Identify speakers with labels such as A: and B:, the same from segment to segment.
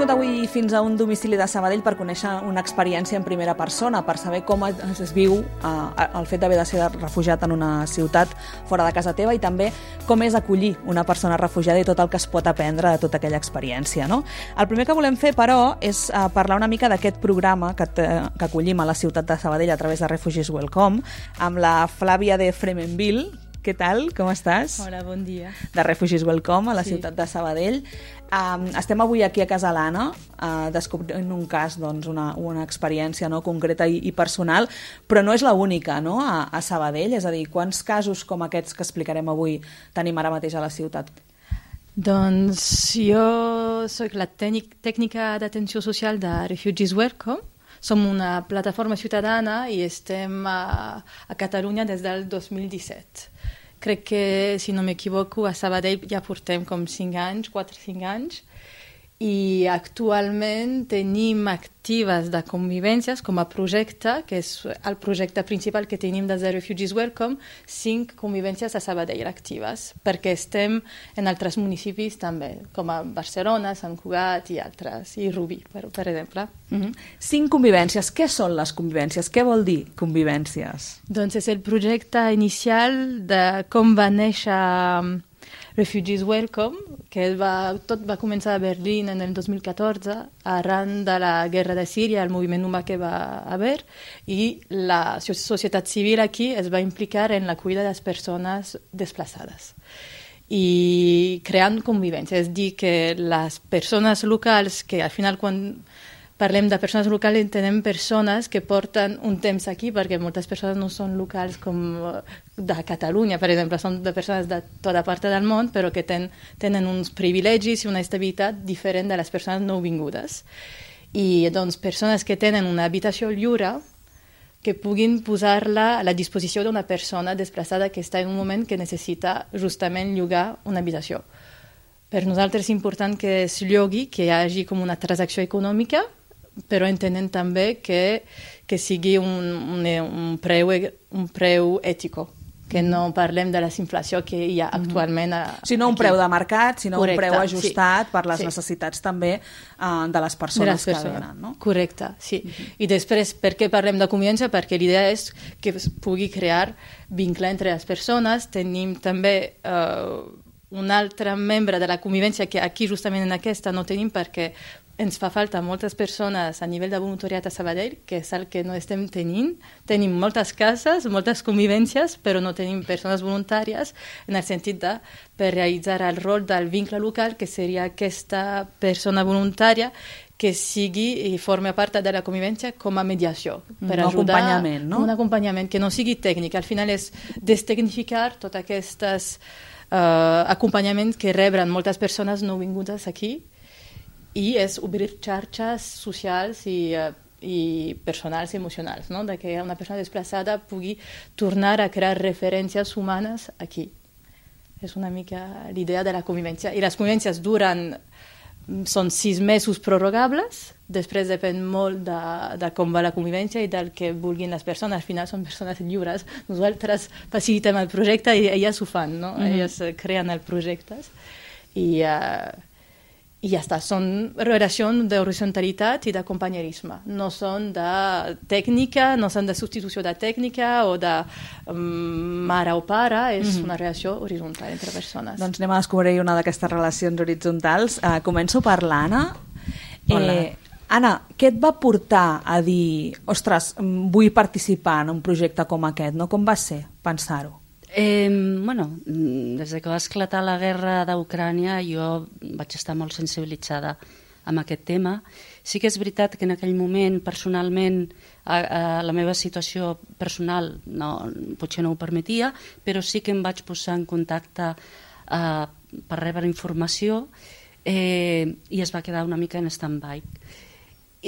A: anat avui fins a un domicili de Sabadell per conèixer una experiència en primera persona, per saber com es viu el fet d'haver de ser refugiat en una ciutat fora de casa teva i també com és acollir una persona refugiada i tot el que es pot aprendre de tota aquella experiència, no? El primer que volem fer, però, és parlar una mica d'aquest programa que acollim a la ciutat de Sabadell a través de Refugees Welcome, amb la Flàvia de Fremenville. Què tal? Com estàs?
B: Hola, bon dia.
A: De Refugees Welcome a la ciutat de Sabadell. Estem avui aquí a Casa l'Anna descobrint un cas, doncs, una experiència, no, concreta i personal, però no és l'única, no, a Sabadell. És a dir, quants casos com aquests que explicarem avui tenim ara mateix a la ciutat?
B: Doncs jo soc la tècnica d'atenció social de Refugees Welcome. Som una plataforma ciutadana i estem a Catalunya des del 2017. Crec que, si no m'equivoco, a Sabadell ja portem com 5 anys, 4-5 anys, i actualment tenim actives de convivències com a projecte, que és el projecte principal que tenim des de Refugees Welcome, 5 convivències a Sabadell actives, perquè estem en altres municipis també, com a Barcelona, Sant Cugat i altres, i Rubí, per exemple.
A: 5 convivències. Què són les convivències? Què vol dir convivències?
B: Doncs és el projecte inicial de com va néixer Refugees Welcome, que tot va començar a Berlín en el 2014, arran de la guerra de Síria, el moviment humà que va haver, i la societat civil aquí es va implicar en l'acollida de les persones desplaçades. I creant convivència, és dir, que les persones locals, que al final quan parlem de persones locals, entenem persones que porten un temps aquí, perquè moltes persones no són locals com de Catalunya, per exemple, són de persones de tota part del món, però que tenen uns privilegis i una estabilitat diferent de les persones nouvingudes. I doncs persones que tenen una habitació lliure, que puguin posar-la a la disposició d'una persona desplaçada que està en un moment que necessita justament llogar una habitació. Per nosaltres és important que es llogui, que hi hagi com una transacció econòmica, però entenent també que sigui un preu ètico, que no parlem de la inflació que hi ha actualment
A: sinó un preu de mercat, sinó
B: correcte,
A: un preu ajustat per les necessitats també de les persones que venen. No?
B: Correcte, sí. I després, per què parlem de convivència? Perquè l'idea és que es pugui crear vincle entre les persones. Tenim també un altre membre de la convivència que aquí justament en aquesta no tenim perquè ens fa falta moltes persones a nivell de voluntariat a Sabadell, que és el que no estem tenint. Tenim moltes cases, moltes convivències, però no tenim persones voluntàries en el sentit de per realitzar el rol del vincle local, que seria aquesta persona voluntària que sigui i formi part de la convivència com a mediació. Per ajudar,
A: acompanyament, no?
B: Un acompanyament que no sigui tècnic. Al final és destecnificar tots aquests acompanyaments que reben moltes persones nouvingudes aquí, i és obrir xarxes socials i personals i emocionals, no? De que una persona desplaçada pugui tornar a crear referències humanes aquí. És una mica l'idea de la convivència. I les convivències són 6 mesos prorrogables, després depèn molt de com va la convivència i del que vulguin les persones. Al final són persones lliures. Nosaltres facilitem el projecte i elles ho fan, no? Elles creen els projectes i ja està, són relacions d'horizontalitat i de companyerisme. No són de tècnica, no són de substitució de tècnica o de mare o pare, és una relació horitzontal entre persones.
A: Doncs anem a descobrir una d'aquestes relacions horitzontals. Començo per l'Anna. Anna, què et va portar a dir, ostres, vull participar en un projecte com aquest, no? Com va ser pensar-ho?
C: Des que va esclatar la guerra d'Ucrània jo vaig estar molt sensibilitzada amb aquest tema. Sí que és veritat que en aquell moment, personalment, la meva situació personal potser no ho permetia, però sí que em vaig posar en contacte per rebre informació i es va quedar una mica en stand-by.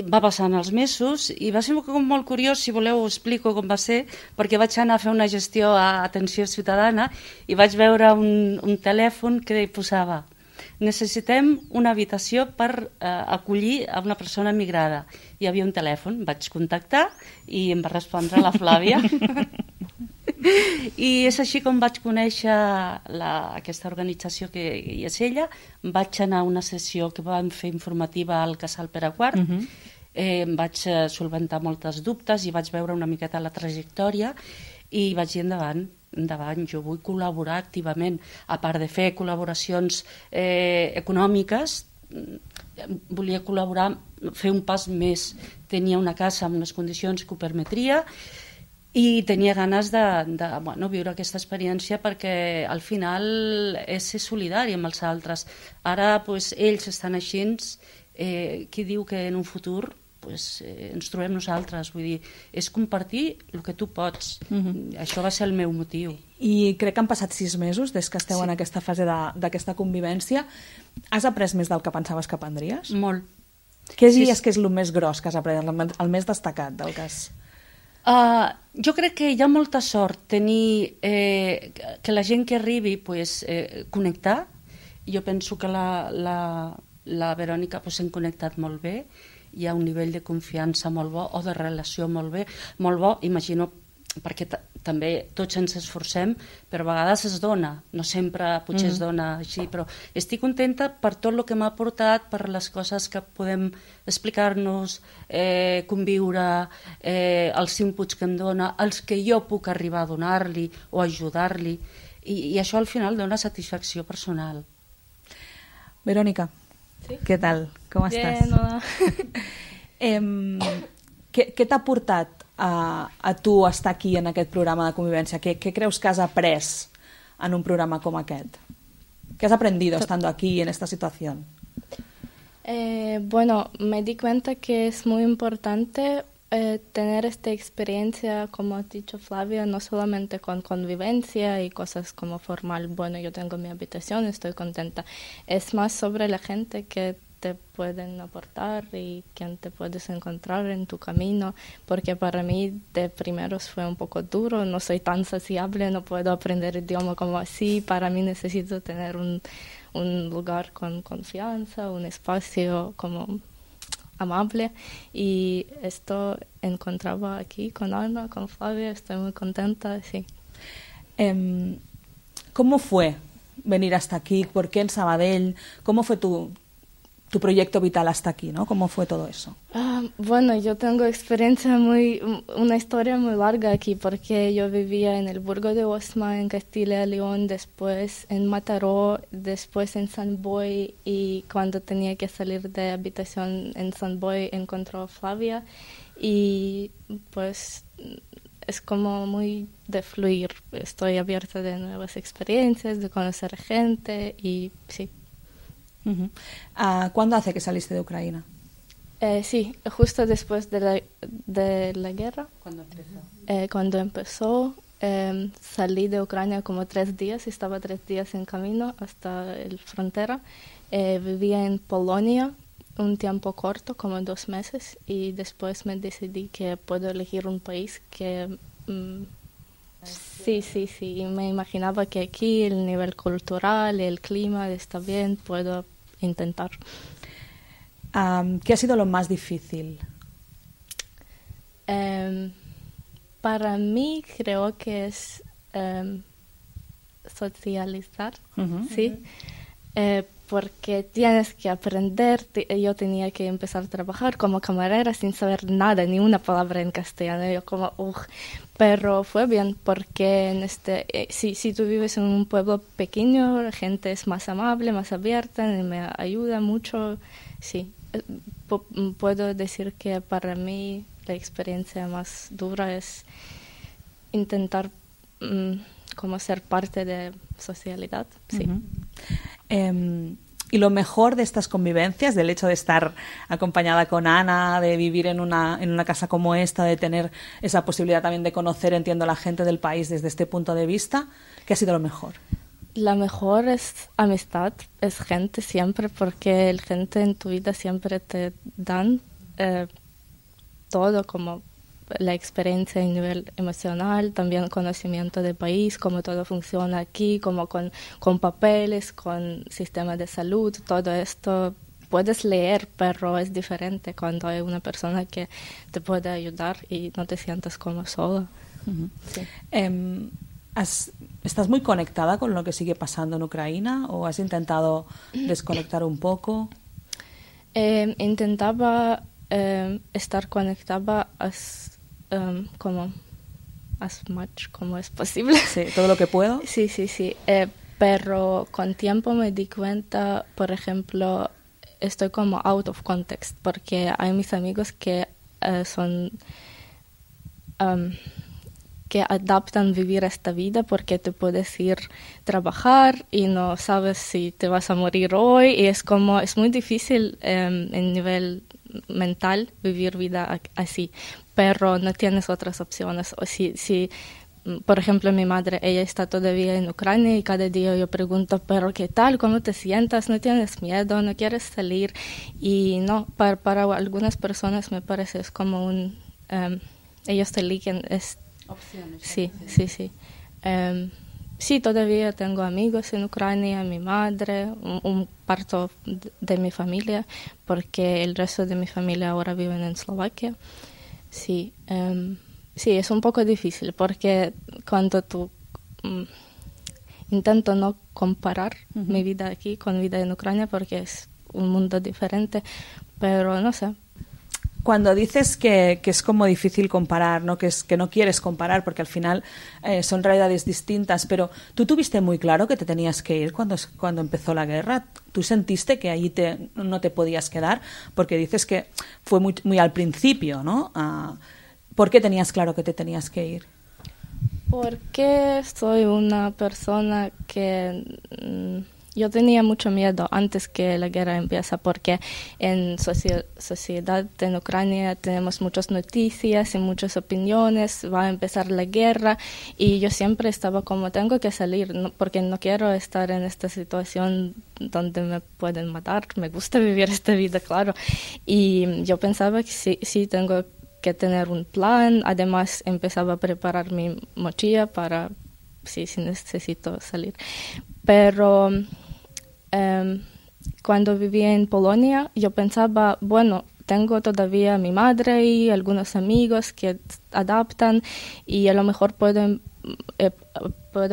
C: Va passant els mesos i va ser molt curiós, si voleu ho explico com va ser, perquè vaig anar a fer una gestió a Atenció Ciutadana i vaig veure un telèfon que posava necessitem una habitació per acollir a una persona migrada. Hi havia un telèfon, vaig contactar i em va respondre la Flàvia. I és així com vaig conèixer aquesta organització que hi és ella. Vaig anar a una sessió que vam fer informativa al Casal Pere IV. Em vaig solventar moltes dubtes i vaig veure una miqueta la trajectòria i vaig dir endavant, jo vull col·laborar activament. A part de fer col·laboracions econòmiques, volia col·laborar, fer un pas més. Tenia una casa amb unes condicions que ho permetria i tenia ganes de viure aquesta experiència, perquè al final és ser solidari amb els altres. Ara ells estan així, qui diu que en un futur ens trobem nosaltres? Vull dir, és compartir el que tu pots. Això va ser el meu motiu.
A: I crec que han passat 6 mesos des que esteu en aquesta fase d'aquesta convivència. Has après més del que pensaves que aprendries?
C: Molt.
A: Què diries que és el més gros que has après, el més destacat del cas?
C: Jo crec que hi ha molta sort tenir que la gent que arribi connectar. Jo penso que la Verònica hem connectat molt bé, hi ha un nivell de confiança molt bo o de relació molt bo, imagino, perquè també tots ens esforcem, però a vegades es dona, no sempre potser es dona així, però estic contenta per tot el que m'ha portat, per les coses que podem explicar-nos, conviure, els inputs que em dona, els que jo puc arribar a donar-li o ajudar-li, i això al final dona satisfacció personal.
A: Verònica, què tal? Com estàs?
B: Bien, hola.
A: Què t'ha portat a tu estar aquí en aquest programa de convivència? ¿Qué creus que has après en un programa como aquest? ¿Qué has aprendido estando aquí en esta situación?
D: Bueno, me di cuenta que es muy importante tener esta experiencia, como ha dicho Flavia, no solamente con convivencia y cosas como formal. Bueno, yo tengo mi habitación, estoy contenta. Es más sobre la gente que te pueden aportar y quién te puedes encontrar en tu camino, porque para mí de primeros fue un poco duro, no soy tan sociable, no puedo aprender idioma como así, para mí necesito tener un lugar con confianza, un espacio como amable, y esto encontraba aquí con Ana, con Flavia, estoy muy contenta, sí.
A: ¿Cómo fue venir hasta aquí? ¿Por qué en Sabadell? ¿Cómo fue tu proyecto vital hasta aquí, ¿no? ¿Cómo fue todo eso?
D: Bueno, yo tengo una historia muy larga aquí, porque yo vivía en el Burgo de Osma, en Castilla y León, después en Mataró, después en San Boi, y cuando tenía que salir de habitación en San Boi encontró a Flavia, y pues es como muy de fluir. Estoy abierta de nuevas experiencias, de conocer gente, y sí.
A: ¿Cuándo hace que saliste de Ucrania?
D: Sí, justo después de la guerra. Cuando empezó, salí de Ucrania como 3 días, estaba 3 días en camino hasta la frontera. Vivía en Polonia un tiempo corto, como 2 meses, y después me decidí que puedo elegir un país que... Sí, me imaginaba que aquí el nivel cultural, el clima está bien, puedo intentar.
A: ¿Qué ha sido lo más difícil?
D: Para mí creo que es socializar, ¿sí? Porque tienes que aprender. Yo tenía que empezar a trabajar como camarera sin saber nada, ni una palabra en castellano. Yo como, pero fue bien, porque si tú vives en un pueblo pequeño, la gente es más amable, más abierta, y me ayuda mucho. Sí, puedo decir que para mí la experiencia más dura es intentar como ser parte de socialidad, sí.
A: Y lo mejor de estas convivencias, del hecho de estar acompañada con Ana, de vivir en una casa como esta, de tener esa posibilidad también de conocer, entiendo, a la gente del país desde este punto de vista, ¿qué ha sido lo mejor?
D: La mejor es amistad, es gente siempre, porque la gente en tu vida siempre te dan todo, como la experiencia a nivel emocional, también conocimiento del país, cómo todo funciona aquí, como con papeles, con sistema de salud, todo esto puedes leer, pero es diferente cuando hay una persona que te puede ayudar y no te sientas como sola. Sí.
A: ¿Estás muy conectada con lo que sigue pasando en Ucrania o has intentado desconectar un poco?
D: Intentaba estar conectada como as much como es posible.
A: Sí, todo lo que puedo.
D: Sí. Pero con tiempo me di cuenta, por ejemplo, estoy como out of context, porque hay mis amigos que son... que adaptan vivir esta vida porque te puedes ir a trabajar y no sabes si te vas a morir hoy y es muy difícil en nivel mental vivir vida así, pero no tienes otras opciones. O si por ejemplo, mi madre, ella está todavía en Ucrania y cada día yo pregunto, pero ¿qué tal? ¿Cómo te sientas? ¿No tienes miedo? ¿No quieres salir? Y no, para algunas personas me parece es como ellos te eligen
C: opciones.
D: Sí. Sí, todavía tengo amigos en Ucrania, mi madre, un parte de mi familia, porque el resto de mi familia ahora viven en Eslovaquia. Sí, sí, es un poco difícil, porque cuando intento no comparar mi vida aquí con vida en Ucrania, porque es un mundo diferente, pero no sé.
A: Cuando dices que es como difícil comparar, ¿no? Que no quieres comparar porque al final son realidades distintas, pero ¿tú tuviste muy claro que te tenías que ir cuando empezó la guerra? ¿Tú sentiste que allí no te podías quedar? Porque dices que fue muy, muy al principio, ¿no? ¿Por qué tenías claro que te tenías que ir?
D: Porque soy una persona que... yo tenía mucho miedo antes que la guerra empiece, porque en sociedad en Ucrania tenemos muchas noticias y muchas opiniones, va a empezar la guerra y yo siempre estaba como tengo que salir, porque no quiero estar en esta situación donde me pueden matar, me gusta vivir esta vida, claro, y yo pensaba que sí tengo que tener un plan, además empezaba a preparar mi mochila para si necesito salir. Pero cuando vivía en Polonia, yo pensaba, bueno, tengo todavía a mi madre y algunos amigos que adaptan y a lo mejor puedo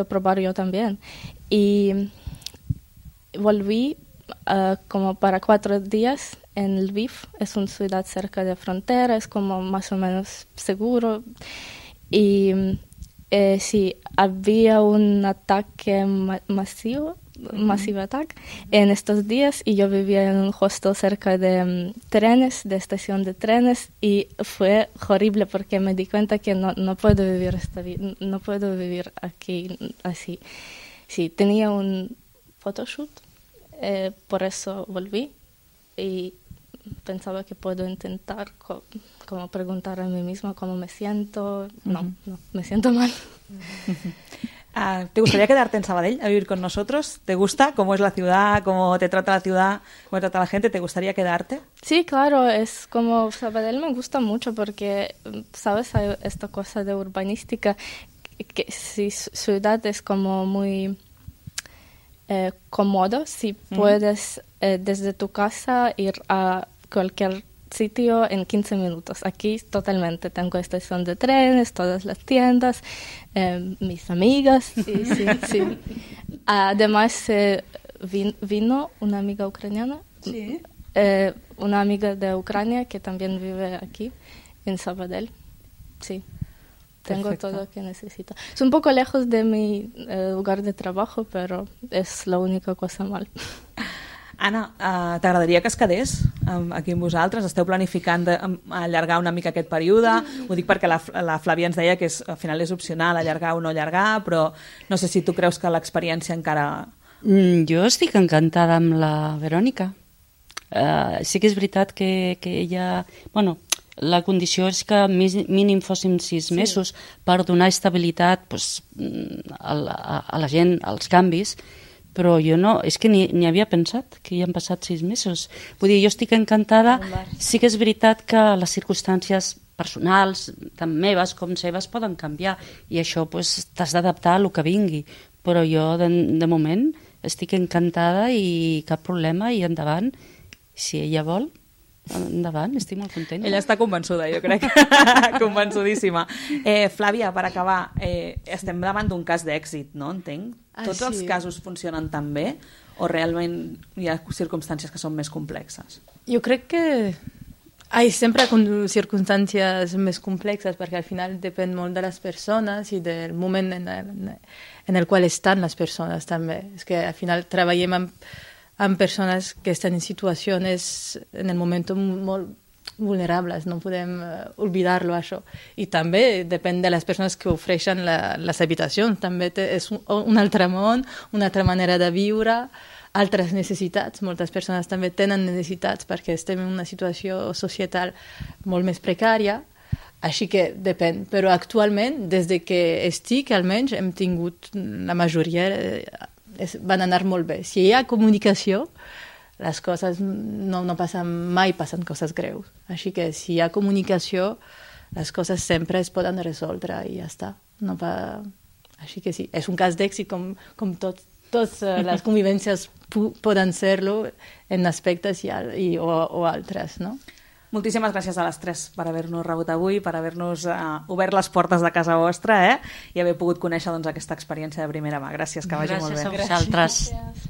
D: probar yo también. Y volví como para 4 días en Lviv, es una ciudad cerca de frontera, es como más o menos seguro. Y sí, había un ataque masivo ataque en estos días y yo vivía en un hostel cerca de trenes, de estación de trenes y fue horrible porque me di cuenta que no puedo vivir esta vida, no puedo vivir aquí así. Sí, tenía un photoshoot, por eso volví y pensaba que puedo intentar como preguntar a mí misma cómo me siento. No, me siento mal.
A: ¿Te gustaría quedarte en Sabadell a vivir con nosotros? ¿Te gusta cómo es la ciudad, cómo te trata la ciudad, cómo te trata la gente? ¿Te gustaría quedarte?
D: Sí, claro, es como Sabadell me gusta mucho porque, ¿sabes? Hay esta cosa de urbanística que si ciudad es como muy cómodo, si puedes desde tu casa ir a cualquier sitio en 15 minutos. Aquí totalmente tengo estación de trenes, todas las tiendas, mis amigas. Sí. Además vino una amiga ucraniana, una amiga de Ucrania que también vive aquí en Sabadell. Sí, tengo
A: Perfecto.
D: todo lo que necesito. Es un poco lejos de mi lugar de trabajo, pero es la única cosa mal.
A: Anna, t'agradaria que es quedés aquí amb vosaltres? Esteu planificant allargar una mica aquest període? Ho dic perquè la Flàvia ens deia que al final és opcional allargar o no allargar, però no sé si tu creus que l'experiència encara...
C: Jo estic encantada amb la Verònica. Sí que és veritat que ella... Bueno, la condició és que mínim fóssim 6 mesos per donar estabilitat a la gent, als canvis, però jo no, és que ni havia pensat que ja han passat 6 mesos. Vull dir, jo estic encantada. Sí que és veritat que les circumstàncies personals, tant meves com seves, poden canviar i això t'has d'adaptar a el que vingui. Però jo, de moment, estic encantada i cap problema i endavant, si ella vol. endavant, estic molt contenta.
A: Ella està convençuda, jo crec, convençudíssima. Flàvia, per acabar, estem davant d'un cas d'èxit, no? Entenc? Tots els casos funcionen tan bé o realment hi ha circumstàncies que són més complexes?
B: Jo crec que hi sempre circumstàncies més complexes perquè al final depèn molt de les persones i del moment en el qual estan les persones també. És que al final treballem amb persones que estan en situacions en el moment molt vulnerables, no podem oblidar-lo això. I també depèn de les persones que ofereixen les habitacions, també és un altre món, una altra manera de viure, altres necessitats. Moltes persones també tenen necessitats perquè estem en una situació societal molt més precària, així que depèn. Però actualment, des que estic, almenys, hem tingut la majoria, van anar molt bé. Si hi ha comunicació, les coses no passen coses greus. Així que si hi ha comunicació, les coses sempre es poden resoldre i ja està. Així que sí, és un cas d'èxit com totes les convivències poden ser-lo en aspectes o altres, no?
A: Moltíssimes gràcies a les tres per haver-nos rebut avui, per haver-nos obert les portes de casa vostra i haver pogut conèixer aquesta experiència de primera mà. Gràcies, que vagi molt bé.
C: Gràcies a vosaltres.